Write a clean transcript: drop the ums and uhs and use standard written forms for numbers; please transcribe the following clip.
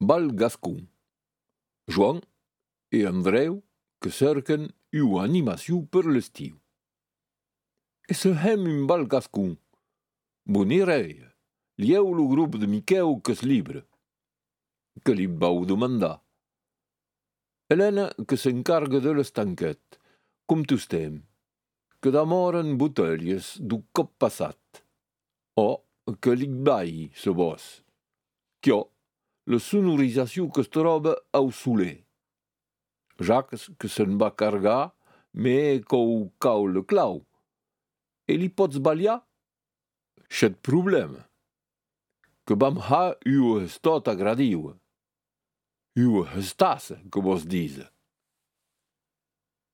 Val Gascon. Joan e Andreu que cerquen ua animació per l'estiu. E se hem un Val Gascon. Bonireia, lieu lo grup de Miqueu que es libre. Que li vau demandar. Helena que s'encarga de l'estanquet, com tostem, que damoren botelles du cop passat. O que li vai, se vos. Chio, la sonorisació que es troba au soler. Jacques que se'n va cargar, me cou cau le clau. E li pots ballar? C'et problema. Que vam ha ua estot agradiua. Ua estassa, que vos dise.